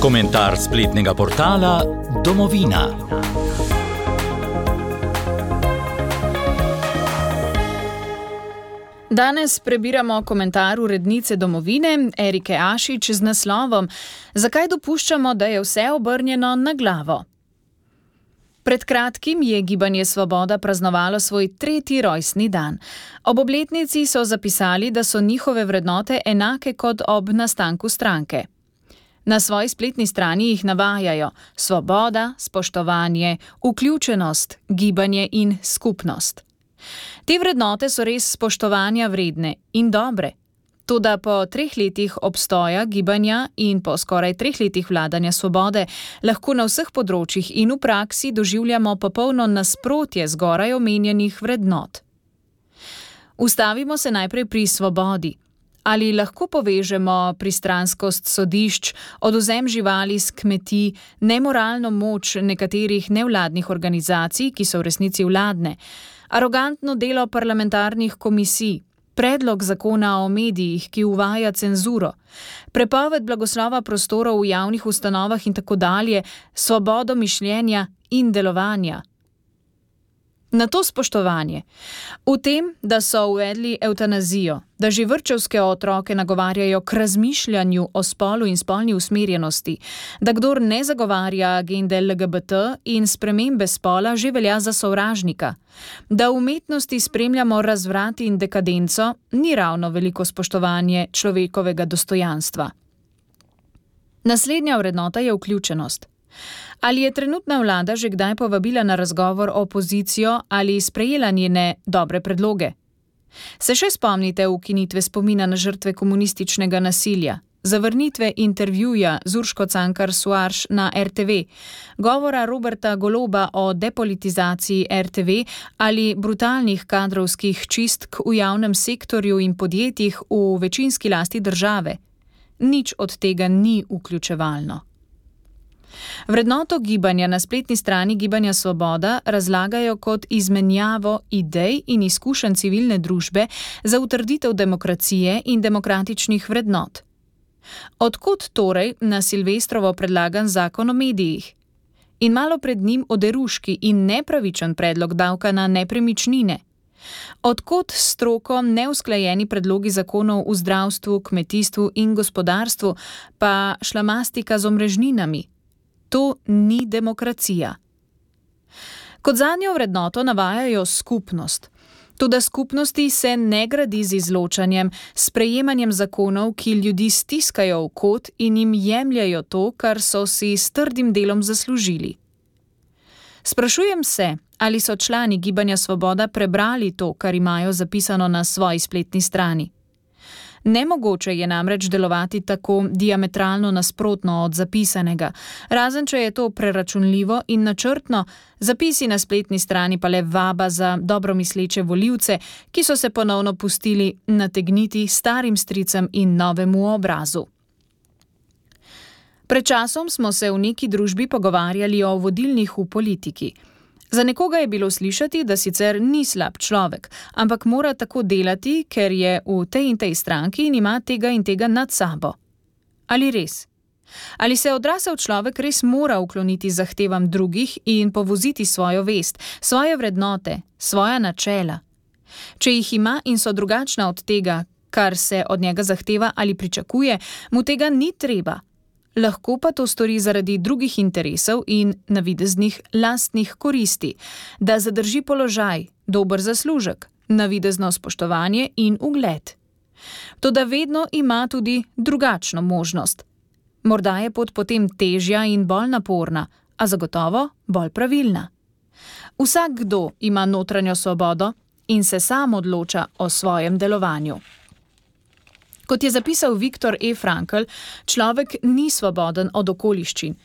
Komentar spletnega portala Domovina. Danes prebiramo komentar urednice Domovine Erike Ašič z naslovom Zakaj dopuščamo, da je vse obrnjeno na glavo? Pred kratkim je Gibanje Svoboda praznovalo svoj 3. rojstni dan. Ob obletnici so zapisali, da so njihove vrednote enake kot ob nastanku stranke. Na svoji spletni strani jih navajajo svoboda, spoštovanje, vključenost, gibanje in skupnost. Te vrednote so res spoštovanja vredne in dobre. Toda po 3 letih obstoja gibanja in po skoraj 3 letih vladanja Svobode lahko na vseh področjih in v praksi doživljamo popolno nasprotje zgoraj omenjenih vrednot. Ustavimo se najprej pri svobodi. Ali lahko povežemo pristranskost sodišč, odvzem živali s kmetij, nemoralno moč nekaterih nevladnih organizacij, ki so v resnici vladne, arogantno delo parlamentarnih komisij, predlog zakona o medijih, ki uvaja cenzuro, prepoved blagoslova prostorov v javnih ustanovah in tako dalje, svobodo mišljenja in delovanja. Na to spoštovanje. V tem, da so uvedli evtanazijo, da že vrtčevske otroke nagovarjajo k razmišljanju o spolu in spolni usmerjenosti, da kdor ne zagovarja agende LGBT in spremembe spola že velja za sovražnika, da v umetnosti spremljamo razvrat in dekadenco, ni ravno veliko spoštovanje človekovega dostojanstva. Naslednja vrednota je vključenost. Ali je trenutna vlada že kdaj povabila na razgovor opozicijo ali sprejela njene dobre predloge? Se še spomnite ukinitve spomina na žrtve komunističnega nasilja, zavrnitve intervjuja z Urško Cankar Soares na RTV, govora Roberta Goloba o depolitizaciji RTV ali brutalnih kadrovskih čistk v javnem sektorju in podjetjih v večinski lasti države? Nič od tega ni vključevalno. Vrednoto gibanja na spletni strani Gibanja Svoboda razlagajo kot izmenjavo idej in izkušenj civilne družbe za utrditev demokracije in demokratičnih vrednot. Odkot torej na Silvestrovo predlagan zakon o medijih? In malo pred njim oderuški in nepravičen predlog davka na nepremičnine? Odkot s stroko neusklajeni predlogi zakonov v zdravstvu, kmetijstvu in gospodarstvu, pa šlamastika z omrežninami? To ni demokracija. Kot zadnjo vrednoto navajajo skupnost. Toda skupnosti se ne gradi z izločanjem, sprejemanjem zakonov, ki ljudi stiskajo v kot in jim jemljajo to, kar so si s trdim delom zaslužili. Sprašujem se, ali so člani Gibanja Svoboda prebrali to, kar imajo zapisano na svoji spletni strani. Nemogoče je namreč delovati tako diametralno nasprotno od zapisanega, razen če je to preračunljivo in načrtno, zapisi na spletni strani pa le vaba za dobromisleče volivce, ki so se ponovno pustili nategniti starim stricem in novemu obrazu. Pred časom smo se v neki družbi pogovarjali o vodilnih v politiki. Za nekoga je bilo slišati, da sicer ni slab človek, ampak mora tako delati, ker je v tej in tej stranki in ima tega in tega nad sabo. Ali res? Ali se odrasel človek res mora ukloniti zahtevam drugih in povoziti svojo vest, svoje vrednote, svoja načela? Če jih ima in so drugačna od tega, kar se od njega zahteva ali pričakuje, mu tega ni treba. Lahko pa to stori zaradi drugih interesov in navideznih lastnih koristi, da zadrži položaj, dober zaslužek, navidezno spoštovanje in ugled. Toda vedno ima tudi drugačno možnost. Morda je pot potem težja in bolj naporna, a zagotovo bolj pravilna. Vsakdo ima notranjo svobodo in se sam odloča o svojem delovanju. Kot je zapisal Viktor E. Frankl, človek ni svoboden od okoliščin.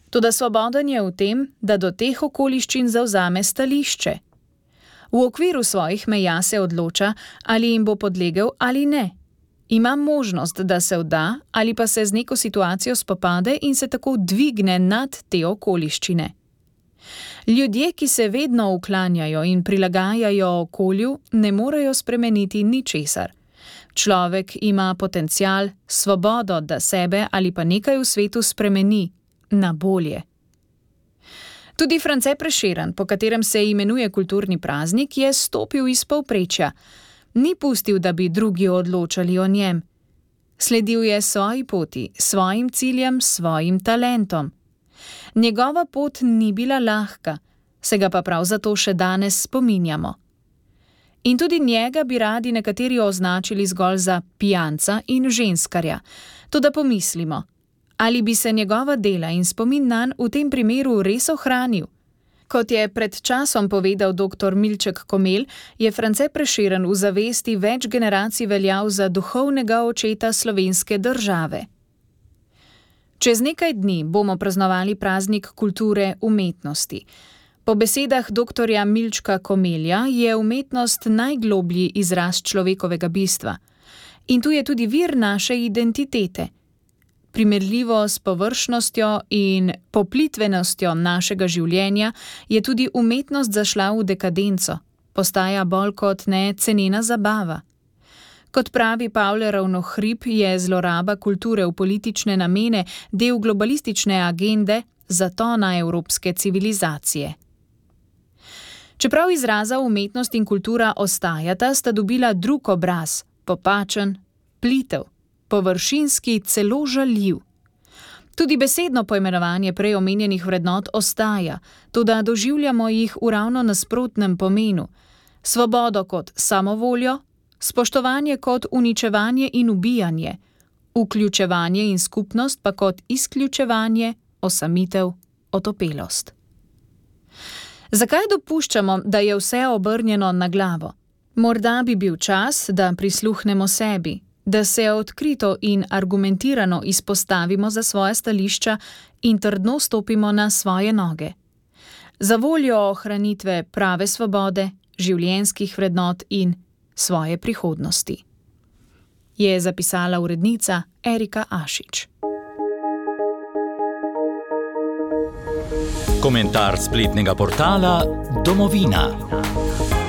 Toda svoboden je v tem, da do teh okoliščin zavzame stališče. V okviru svojih meja se odloča, ali jim bo podlegel ali ne. Ima možnost, da se vda ali pa se z neko situacijo spopade in se tako dvigne nad te okoliščine. Ljudje, ki se vedno uklanjajo in prilagajajo okolju, ne morejo spremeniti ničesar. Človek ima potencial, svobodo, da sebe ali pa nekaj v svetu spremeni na bolje. Tudi France Prešeren, po katerem se imenuje kulturni praznik, je stopil iz povprečja. Ni pustil, da bi drugi odločali o njem. Sledil je svoji poti, svojim ciljem, svojim talentom. Njegova pot ni bila lahka, se ga pa prav zato še danes spominjamo. In tudi njega bi radi nekateri označili zgolj za pijanca in ženskarja. Toda pomislimo, ali bi se njegova dela in spomin nanj v tem primeru res ohranil? Kot je pred časom povedal dr. Milček Komelj, je France Prešeren v zavesti več generacij veljal za duhovnega očeta slovenske države. Čez nekaj dni bomo praznovali praznik kulture umetnosti. Po besedah dr. Milčka Komelja je umetnost najgloblji izraz človekovega bistva. In tu je tudi vir naše identitete. Primerljivo s površnostjo in poplitvenostjo našega življenja je tudi umetnost zašla v dekadenco, postaja bolj kot ne cenena zabava. Kot pravi Pavle Ravnohrib, je zloraba kulture v politične namene del globalistične agende zatona evropske civilizacije. Čeprav izraza umetnost in kultura ostajata, sta dobila drug obraz, popačen, plitev, površinski, celo žaljiv. Tudi besedno poimenovanje prej omenjenih vrednot ostaja, toda doživljamo jih v ravno nasprotnem pomenu. Svobodo kot samovoljo, spoštovanje kot uničevanje in ubijanje, vključevanje in skupnost pa kot izključevanje, osamitev, otopelost. Zakaj dopuščamo, da je vse obrnjeno na glavo? Morda bi bil čas, da prisluhnemo sebi, da se odkrito in argumentirano izpostavimo za svoja stališča in trdno stopimo na svoje noge. Za voljo ohranitve prave svobode, življenjskih vrednot in svoje prihodnosti. Je zapisala urednica Erika Ašič. Komentar spletnega portala Domovina.